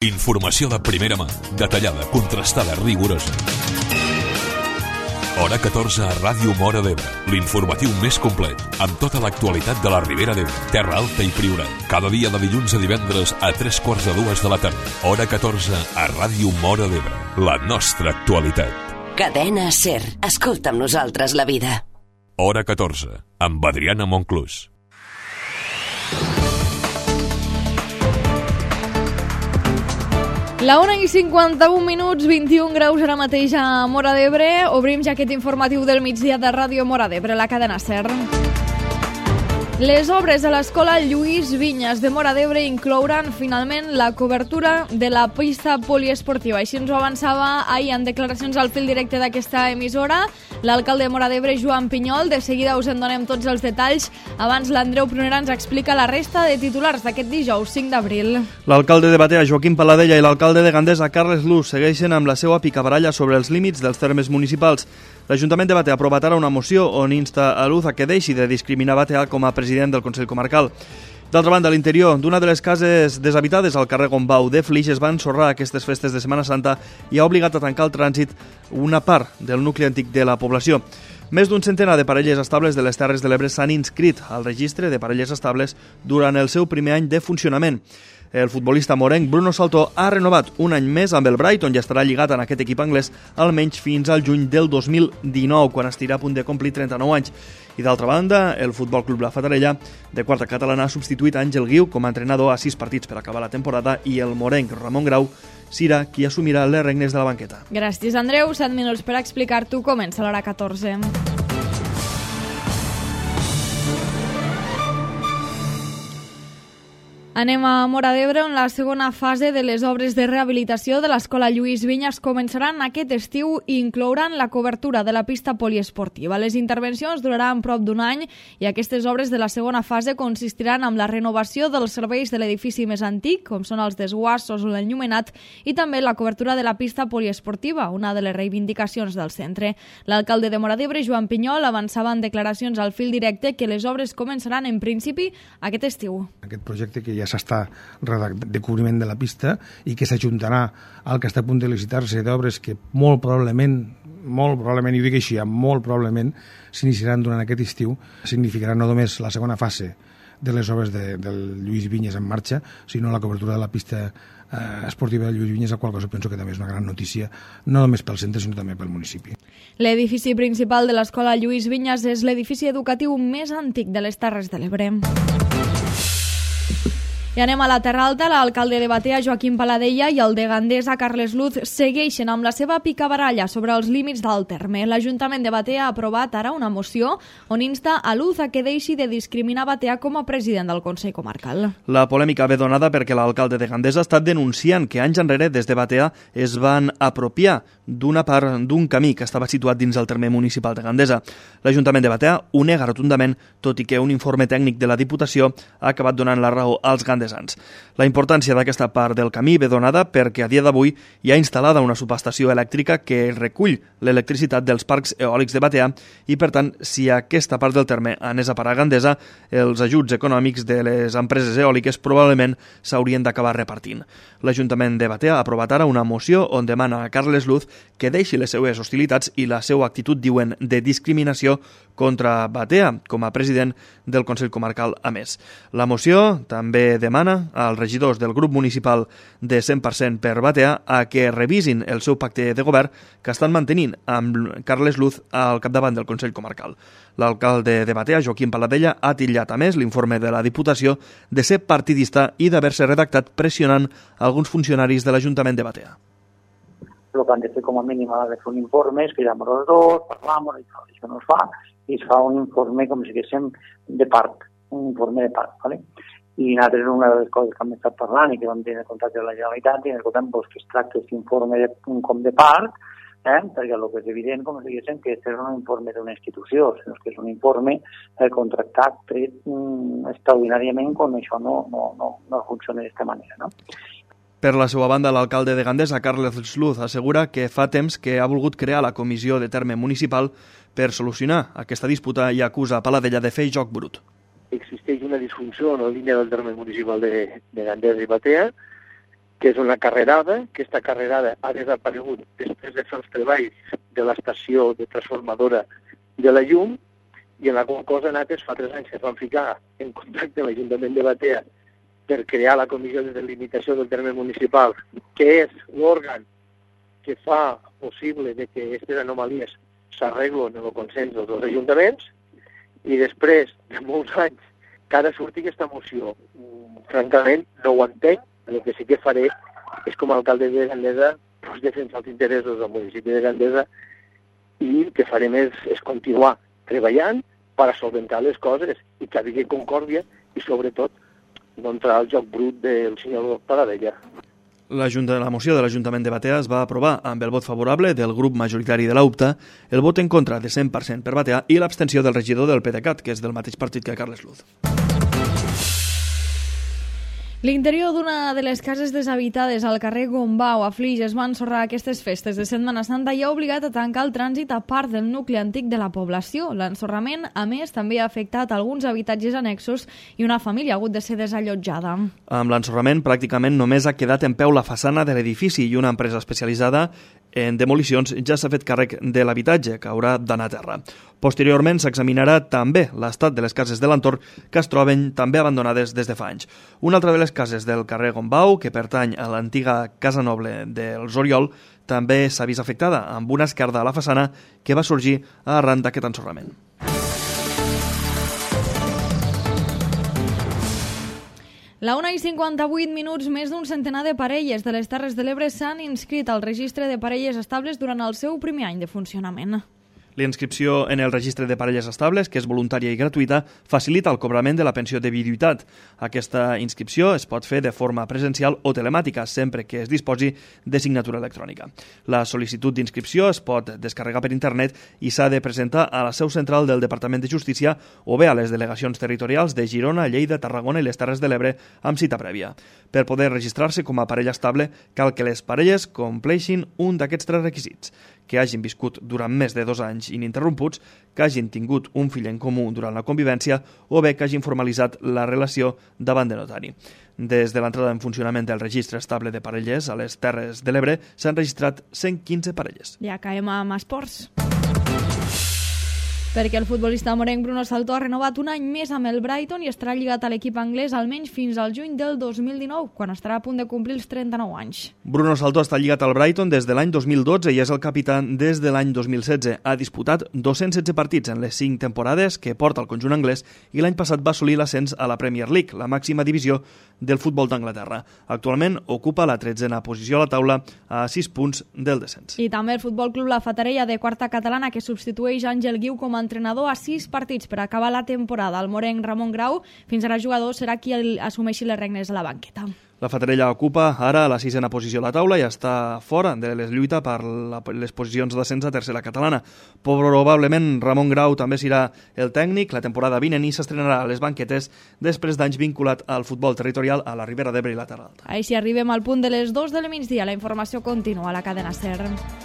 Informació de primera mà, detallada, contrastada, rigorosa. Hora 14 a Ràdio Móra d'Ebre, l'informatiu més complet, amb tota l'actualitat de la Ribera d'Ebre, Terra Alta i Priorat. Cada dia de dilluns a divendres a 3:45 de la tarda. Hora 14 a Ràdio Móra d'Ebre, la nostra actualitat. Cadena SER, escolta amb nosaltres la vida. Hora 14, amb Adriana Monclús. La 1:51, 21 graus ara mateix a Móra d'Ebre. Obrim ja aquest informatiu del migdia de Ràdio Móra d'Ebre, la cadena SER. Les obres de l'escola Lluís Vinyes de Móra d'Ebre inclouran finalment la cobertura de la pista poliesportiva. Així ens ho avançava ahir en declaracions al fil directe d'aquesta emissora l'alcalde de Móra d'Ebre, Joan Pinyol. De seguida us en donem tots els detalls. Abans l'Andreu Prunera ens explica la resta de titulars d'aquest dijous 5 d'abril. L'alcalde de Batea, Joaquim Paladella, i l'alcalde de Gandesa, Carles Luz, segueixen amb la seva picabaralla sobre els límits dels termes municipals. L'Ajuntament de Batea ha aprovat ara una moció on insta a Luz a que deixi de discriminar Batea com a president del Consell Comarcal. D'altra banda, a l'interior d'una de les cases deshabitades al carrer Gombau de Flix es va ensorrar aquestes festes de Setmana Santa i ha obligat a tancar el trànsit una part del nucli antic de la població. Més d'un centenar de parelles estables de les Terres de l'Ebre s'han inscrit al registre de parelles estables durant el seu primer any de funcionament. El futbolista morenc Bruno Saltó ha renovat un any més amb el Brighton i estarà lligat en aquest equip anglès almenys fins al juny del 2019, quan estirà a punt de complir 39 anys. I d'altra banda, el Futbol Club La Fatarella, de quarta catalana, ha substituït Àngel Guiu com a entrenador a 6 partits per acabar la temporada i el morenc Ramon Grau serà qui assumirà les regnes de la banqueta. Gràcies, Andreu. 7 minuts per explicar-t'ho. Comença l'hora 14. Anem a Móra d'Ebre, on la segona fase de les obres de rehabilitació de l'escola Lluís Vinyes començaran aquest estiu i inclouran la cobertura de la pista poliesportiva. Les intervencions duraran prop d'un any i aquestes obres de la segona fase consistiran en la renovació dels serveis de l'edifici més antic, com són els desguassos o l'enllumenat, i també la cobertura de la pista poliesportiva, una de les reivindicacions del centre. L'alcalde de Móra d'Ebre, Joan Pinyol, avançava en declaracions al fil directe que les obres començaran en principi aquest estiu. Aquest projecte que ja s'està de cobriment de la pista i que s'ajuntarà al que està a punt de licitar-se d'obres que molt probablement, i ho dic així, molt probablement s'iniciaran durant aquest estiu, significarà no només la segona fase de les obres del Lluís Vinyes en marxa, sinó la cobertura de la pista esportiva de Lluís Vinyes, la qual cosa penso que també és una gran notícia, no només pel centre, sinó també pel municipi. L'edifici principal de l'escola Lluís Vinyes és l'edifici educatiu més antic de les Terres de l'Ebre. I anem a la Terra Alta. L'alcalde de Batea, Joaquim Paladella, i el de Gandesa, Carles Luz, segueixen amb la seva picabaralla sobre els límits del terme. L'Ajuntament de Batea ha aprovat ara una moció on insta a Luz a que deixi de discriminar Batea com a president del Consell Comarcal. La polèmica ve donada perquè l'alcalde de Gandesa ha estat denunciant que anys enrere des de Batea es van apropiar d'una part d'un camí que estava situat dins el terme municipal de Gandesa. L'Ajuntament de Batea ho nega rotundament, tot i que un informe tècnic de la Diputació ha acabat donant la raó als gandesans. La importància d'aquesta part del camí ve donada perquè a dia d'avui hi ha instal·lada una subestació elèctrica que recull l'electricitat dels parcs eòlics de Batea i, per tant, si aquesta part del terme anés a parar a Gandesa, els ajuts econòmics de les empreses eòliques probablement s'haurien d'acabar repartint. L'Ajuntament de Batea ha aprovat ara una moció on demana a Carles Luz que deixi les seues hostilitats i la seva actitud, diuen, de discriminació contra Batea com a president del Consell Comarcal a més. La moció també demana als regidors del grup municipal de 100% per Batea a que revisin el seu pacte de govern que estan mantenint amb Carles Luz al capdavant del Consell Comarcal. L'alcalde de Batea, Joaquim Paladella, ha titllat a més l'informe de la Diputació de ser partidista i d'haver-se redactat pressionant alguns funcionaris de l'Ajuntament de Batea. El que han de fer com a mínim ha de fer un informe, es quedamos los dos, parlamos, això no es fa, i es fa un informe com si diguéssim de part, un informe de part, ¿vale? I nosaltres una de les coses que hem estat parlant i que vam tenir contacte amb la Generalitat i escoltem que es tracta aquest informe com de part, perquè el que és evident, com si diguéssim, que és un informe d'una institució, sinó que és un informe contractat, tret extraordinàriament quan això no funciona d'aquesta manera, no? Per la seva banda, l'alcalde de Gandesa, Carles Luz, assegura que fa temps que ha volgut crear la comissió de terme municipal per solucionar aquesta disputa i acusa Paladella de fer joc brut. Existeix una disfunció en la línia del terme municipal de Gandesa i Batea que és una carrerada, que aquesta carrerada ha desaparegut després de fer els treballs de l'estació de transformadora de la llum, i en la qual cosa nosaltres fa 3 anys que es van ficar en contacte amb l'Ajuntament de Batea per crear la comissió de delimitació del terme municipal, que és l'òrgan que fa possible de que aquestes anomalies s'arreglen en el consens dels dos ajuntaments, i després de molts anys que ara surti aquesta moció. Francament, no ho entenc. El que sí que faré és, com a alcalde de Gandesa, doncs, defensar els interessos del municipi de Gandesa, i el que farem és continuar treballant per a solventar les coses i que hi hagi concòrdia i, sobretot, no entrar al joc brut del senyor Paradella. La moció de l'Ajuntament de Batea es va aprovar amb el vot favorable del grup majoritari de l'UPTA, el vot en contra de 100% per Batea i l'abstenció del regidor del PDeCAT, que és del mateix partit que Carles Luz. L'interior d'una de les cases deshabitades al carrer Gombau a Flix es va ensorrar aquestes festes de Setmana Santa i ha obligat a tancar el trànsit a part del nucli antic de la població. L'ensorrament, a més, també ha afectat alguns habitatges annexos i una família ha hagut de ser desallotjada. Amb l'ensorrament, pràcticament només ha quedat en peu la façana de l'edifici i una empresa especialitzada en demolicions ja s'ha fet càrrec de l'habitatge, que haurà d'anar a terra. Posteriorment s'examinarà també l'estat de les cases de l'entorn que es troben també abandonades des de fa anys. Una altra de les cases del carrer Gombau, que pertany a l'antiga Casa Noble dels Oriol, també s'ha vist afectada amb una esquerda a la façana que va sorgir arran d'aquest ensorrament. La 1:58, més d'un centenar de parelles de les Terres de l'Ebre s'han inscrit al registre de parelles estables durant el seu primer any de funcionament. La inscripció en el registre de parelles estables, que és voluntària i gratuïta, facilita el cobrament de la pensió de viduïtat. Aquesta inscripció es pot fer de forma presencial o telemàtica, sempre que es disposi de signatura electrònica. La sol·licitud d'inscripció es pot descarregar per internet i s'ha de presentar a la seu central del Departament de Justícia o bé a les delegacions territorials de Girona, Lleida, Tarragona i les Terres de l'Ebre amb cita prèvia. Per poder registrar-se com a parella estable, cal que les parelles compleixin un d'aquests 3 requisits: que hagin viscut durant més de 2 anys ininterromputs, que hagin tingut un fill en comú durant la convivència o bé que hagin formalitzat la relació davant de notari. Des de l'entrada en funcionament del registre estable de parelles a les Terres de l'Ebre s'han registrat 115 parelles. Ja caiem amb esports. Perquè el futbolista morenc Bruno Saltó ha renovat un any més amb el Brighton i estarà lligat a l'equip anglès almenys fins al juny del 2019, quan estarà a punt de complir els 39 anys. Bruno Saltó està lligat al Brighton des de l'any 2012 i és el capità des de l'any 2016. Ha disputat 216 partits en les 5 temporades que porta el conjunt anglès i l'any passat va assolir l'ascens a la Premier League, la màxima divisió del futbol d'Anglaterra. Actualment ocupa la 13a posició a la taula a 6 punts del descens. I també el Futbol Club La Fatarella de quarta catalana, que substitueix Àngel Guiu com a entrenador a 6 partits per acabar la temporada. El morenc Ramon Grau, fins ara jugador, serà qui assumeixi les regnes a la banqueta. La Fatarella ocupa ara la 6a posició a la taula i està fora de les lluites per les posicions d'ascens a tercera catalana. Probablement Ramon Grau també serà el tècnic la temporada vinent i s'estrenarà a les banquetes després d'anys vinculat al futbol territorial a la Ribera d'Ebre i la Terra Alta. Així arribem al punt de les 2 del migdia. La informació continua a la cadena SER.